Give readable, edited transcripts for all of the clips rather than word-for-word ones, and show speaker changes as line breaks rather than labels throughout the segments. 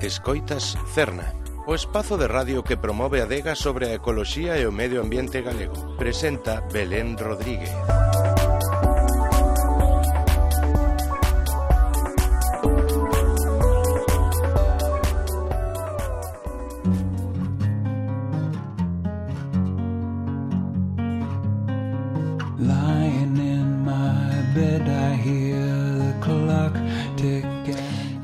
Escoitas Cerna, o espazo de radio que promove a adega sobre a ecoloxía e o medio ambiente galego. Presenta Belén Rodríguez.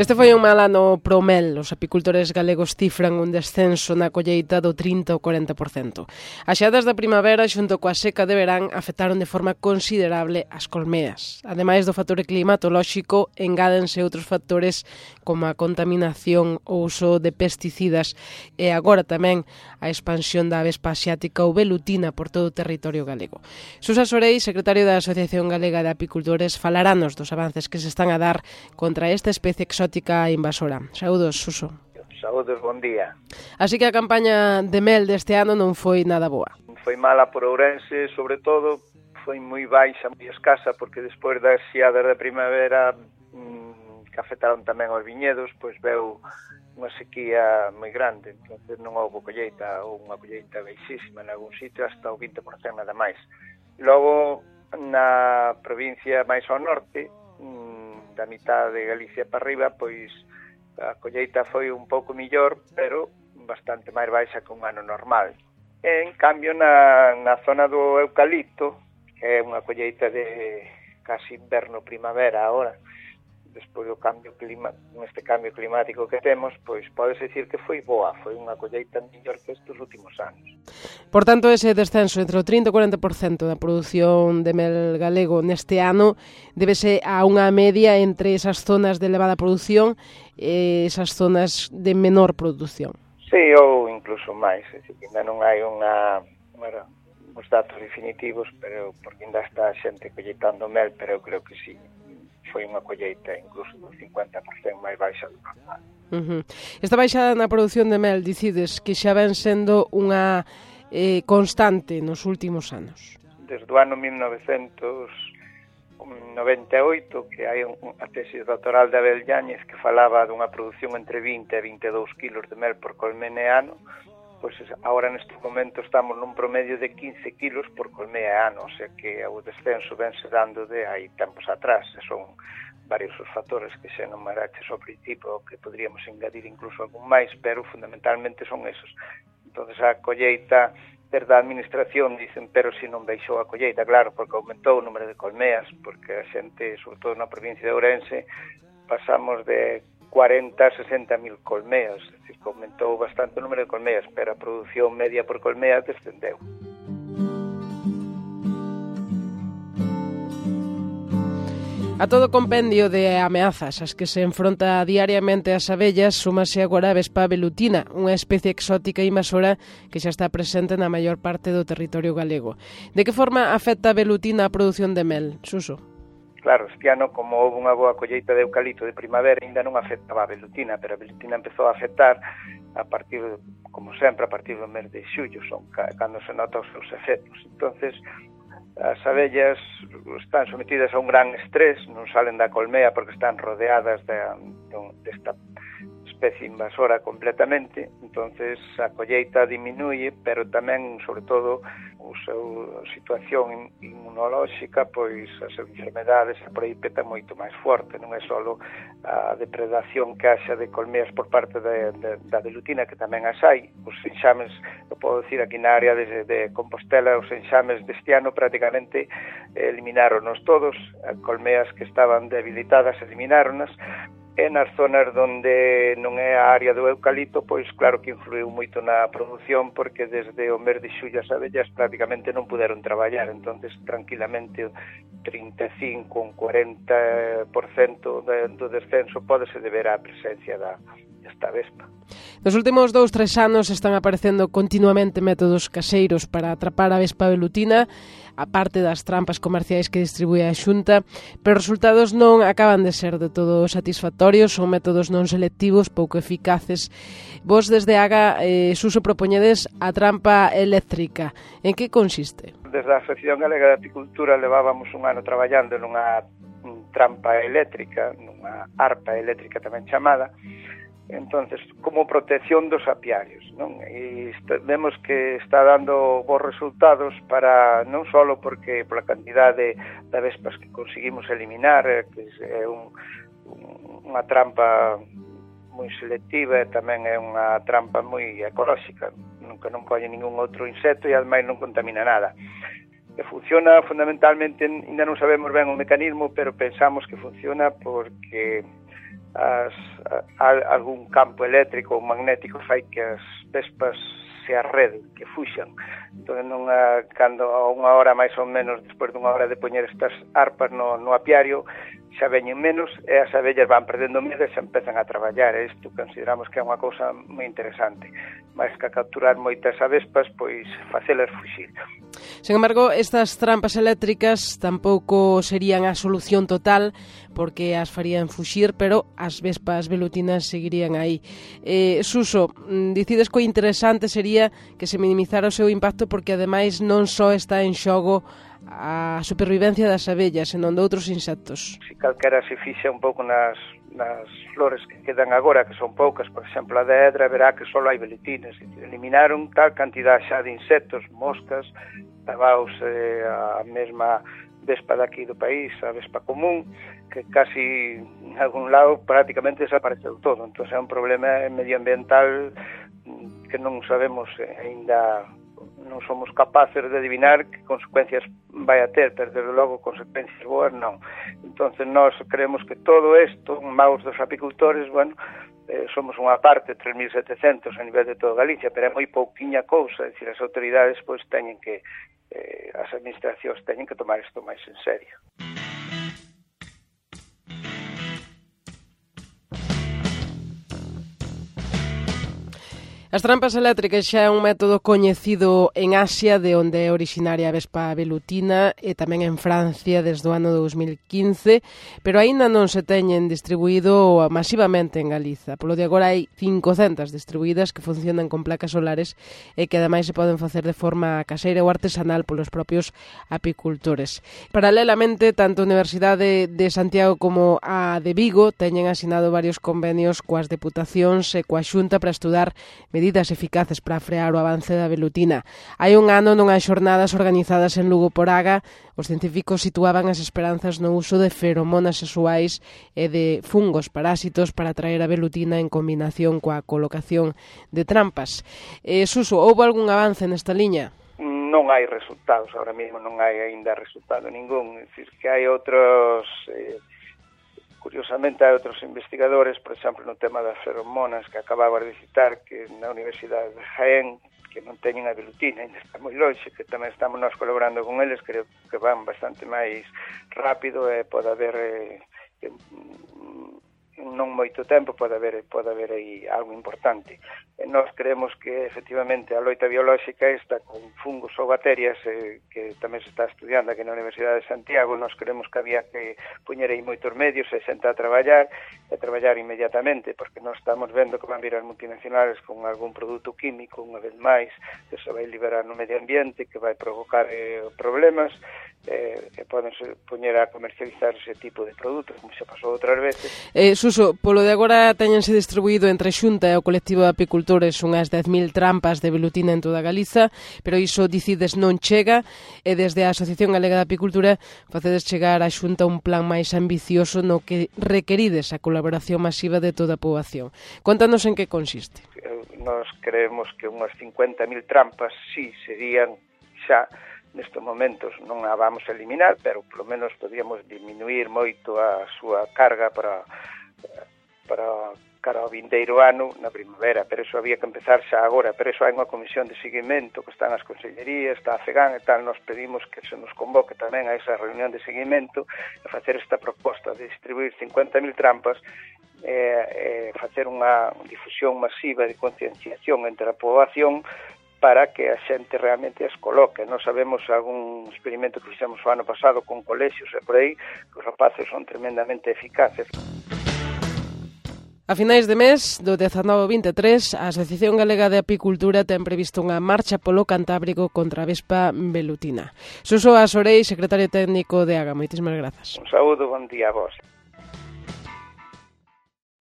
Este foi un mal ano pro mel. Os apicultores galegos cifran un descenso na colleita do 30 ou 40%. As xeadas da primavera xunto coa seca de verán afectaron de forma considerable as colmeas. Ademais do factor climatolóxico, engádense outros factores como a contaminación, o uso de pesticidas e agora tamén a expansión da avespa asiática ou velutina por todo o territorio galego. Susa Sorei, secretario da Asociación Galega de Apicultores, falarános dos avances que se están a dar contra esta especie exótica invasora. Saúdos, Suso.
Saúdos, bon día.
Así que a campaña de mel deste ano non foi nada boa.
Foi mala por Ourense, sobre todo, foi moi baixa, moi escasa, porque despois das xeadas da primavera que afectaron tamén aos viñedos, pois veu unha sequía moi grande, entonces non houve colleita, ou unha colleita baixísima en algún sitio, hasta o 20% nada máis. Logo, na provincia máis ao norte, da mitad de Galicia para arriba, pois a colleita foi un pouco millor, pero bastante máis baixa que un ano normal. En cambio, na zona do eucalipto, que é unha colleita de casi inverno-primavera agora, despois do neste cambio climático que temos, pois podes dicir que foi boa, foi unha colleita mellor que estes últimos anos.
Por tanto, ese descenso entre o 30 e o 40% da produción de mel galego neste ano débese a unha media entre esas zonas de elevada produción e esas zonas de menor produción.
Sí, ou incluso máis, é dicir, ainda non hai uns datos definitivos, pero porque ainda está a xente colleitando mel, pero eu creo que sí, foi unha colleita incluso do 50% máis baixa do normal.
Esta baixada na produción de mel, dicides que xa ven sendo unha constante nos últimos anos.
Desde o ano 1998, que hai a tesis doctoral de Abel Yáñez que falaba dunha produción entre 20 e 22 kilos de mel por colmena ano, pois agora neste momento estamos nun promedio de 15 kilos por colmea ano, o sea que o descenso vense dando de hai tempos atrás, e son varios os factores que xa numeraches ao principio, que poderíamos engadir incluso algún máis, pero fundamentalmente son esos. Entonces a colleita, desde a administración dicen, pero se non baixou a colleita, claro, porque aumentou o número de colmeas, porque a xente, sobre todo na provincia de Ourense, pasamos de 40 a 60 mil colmeas, é dicir, que aumentou bastante o número de colmeas, pero a produción media por colmea descendeu.
A todo compendio de ameazas ás que se enfronta diariamente as abellas, súmase agora a vespa velutina, unha especie exótica invasora que xa está presente na maior parte do territorio galego. De que forma afecta a velutina a produción de mel, Suso?
Claro, este ano, como houve unha boa colleita de eucalipto de primavera, ainda non afectaba a velutina, pero a velutina empezou a afectar a partir, como sempre, a partir do mes de xullo, son cando se nota os seus efectos. Entonces, as abellas están sometidas a un gran estrés, non salen da colmea porque están rodeadas desta especie invasora completamente, entonces a colleita diminuye, pero tamén, sobre todo, a súa situación inmunolóxica, pois as enfermedades por aí petan moito máis forte, non é só a depredación que haxa de colmeas por parte da velutina, que tamén as hai. Os enxames, eu podo dicir aquí na área de Compostela, os enxames deste ano prácticamente eliminaronos todos, as colmeas que estaban debilitadas eliminaronas, e nas zonas onde non é a área do eucalipto, pois claro que influiu moito na produción, porque desde o mes de xullo as abellas prácticamente non puderon traballar, entonces tranquilamente 35 ou 40% do descenso pódese deber á presencia desta vespa.
Nos últimos 2-3 anos están aparecendo continuamente métodos caseiros para atrapar a vespa velutina, a parte das trampas comerciais que distribúe a Xunta, pero os resultados non acaban de ser de todo satisfactorios, son métodos non selectivos, pouco eficaces. Vos desde AGA, Suso, propoñedes a trampa eléctrica. En que consiste?
Desde a Asociación Galega de Apicultura levábamos un ano traballando nunha trampa eléctrica, nunha arpa eléctrica tamén chamada, entonces como protección dos apiarios, non? E vemos que está dando bons resultados para non só porque pola cantidade de vespas que conseguimos eliminar, que é unha trampa moi selectiva e tamén é unha trampa moi ecolóxica, nunca non colle ningún outro insecto e ademais non contamina nada. Que funciona fundamentalmente, ainda non sabemos ben o mecanismo, pero pensamos que funciona porque algún campo eléctrico ou magnético fai que as vespas se arreden, que fuxan. Entón, cando a unha hora máis ou menos, despois dunha hora de poñer estas arpas no apiario, xa veñen menos e as abellas van perdendo medo e xa empezan a traballar. Isto consideramos que é unha cousa moi interesante. Mais que capturar moitas avespas, pois facelas fuxir.
Sen embargo, estas trampas eléctricas tampouco serían a solución total, porque as farían fuxir, pero as vespas velutinas seguirían aí. Suso, dicides que o interesante sería que se minimizara o seu impacto, porque ademais non só está en xogo a supervivencia das abellas, senón de outros insectos.
Se calquera se fixa un pouco nas flores que quedan agora, que son poucas, por exemplo, a de Edra, verá que só hai velutinas. Eliminaron tal cantidad xa de insectos, moscas, tabaos, a mesma vespa daqui do país, a vespa común, que casi en algún lado prácticamente desapareceu todo. Entón é un problema medioambiental que non sabemos aínda, non somos capaces de adivinar que consecuencias vai a ter, pero desde logo consecuencias boas non. Entonces nós creemos que todo isto, maus dos apicultores, bueno, somos unha parte, 3.700 a nivel de toda Galicia, pero é moi pouquiña cousa, é dicir, as autoridades pois teñen que, as administracións teñen que tomar isto máis en serio.
As trampas eléctricas xa é un método coñecido en Asia, de onde é originaria a vespa velutina, e tamén en Francia desde o ano 2015, pero aínda non se teñen distribuído masivamente en Galiza. Polo de agora hai 500 distribuídas que funcionan con placas solares e que ademais se poden facer de forma caseira ou artesanal polos propios apicultores. Paralelamente, tanto a Universidade de Santiago como a de Vigo teñen asinado varios convenios coas deputacións e coa Xunta para estudar medidas eficaces para frear o avance da velutina. Hai un ano, nunhas xornadas organizadas en Lugo por Aga, os científicos situaban as esperanzas no uso de feromonas sexuais e de fungos parásitos para atraer a velutina en combinación coa colocación de trampas. Suso, houve algún avance nesta liña?
Non hai resultados, ahora mesmo non hai aínda resultado ningún, é dicir, que hai outros... Curiosamente, hai outros investigadores, por exemplo, no tema das feromonas, que acababa de citar, que na Universidade de Jaén, que non teñen a velutina, ainda está moi longe, que tamén estamos nós colaborando con eles, creo que van bastante máis rápido e pode haber, non moito tempo, pode haber aí algo importante. E nós creemos que, efectivamente, a loita biolóxica esta con fungos ou bacterias, que tamén se está estudiando aquí na Universidade de Santiago, nós creemos que había que poñer aí moitos medios e sentar a traballar inmediatamente, porque nós estamos vendo que van vir as multinacionales con algún produto químico, unha vez máis, que se vai liberar no medio ambiente, que vai provocar problemas, e poden poñer a comercializar ese tipo de produtos, como se pasou outras veces.
Suso, polo de agora teñense distribuído entre Xunta e o colectivo de apicultores unhas 10.000 trampas de velutina en toda Galiza, pero iso dicides non chega, e desde a Asociación Galega de Apicultura facedes chegar á Xunta un plan máis ambicioso no que requerides a colaboración masiva de toda a poboación. Contanos en que consiste.
Nós creemos que unhas 50.000 trampas sí serían xa nestes momentos, non a vamos a eliminar, pero polo menos podíamos diminuir moito a súa carga para cara ao vindeiro ano na primavera, pero eso había que empezar xa agora, pero eso hai unha comisión de seguimento que están as consellerías, está a FEGAN e tal, nos pedimos que se nos convoque tamén a esa reunión de seguimento e facer esta proposta de distribuir 50.000 trampas e facer unha difusión masiva de concienciación entre a poboación para que a xente realmente as coloque. Nós sabemos algún experimento que fixemos o ano pasado con colexios e por aí, que os rapaces son tremendamente eficaces.
A finais de mes, do 19 ao 23, a Asociación Galega de Apicultura ten previsto unha marcha polo Cantábrico contra a vespa velutina. Suso Asorei, secretario técnico de AGA, moitísimas grazas.
Un saúdo, bon día a vos.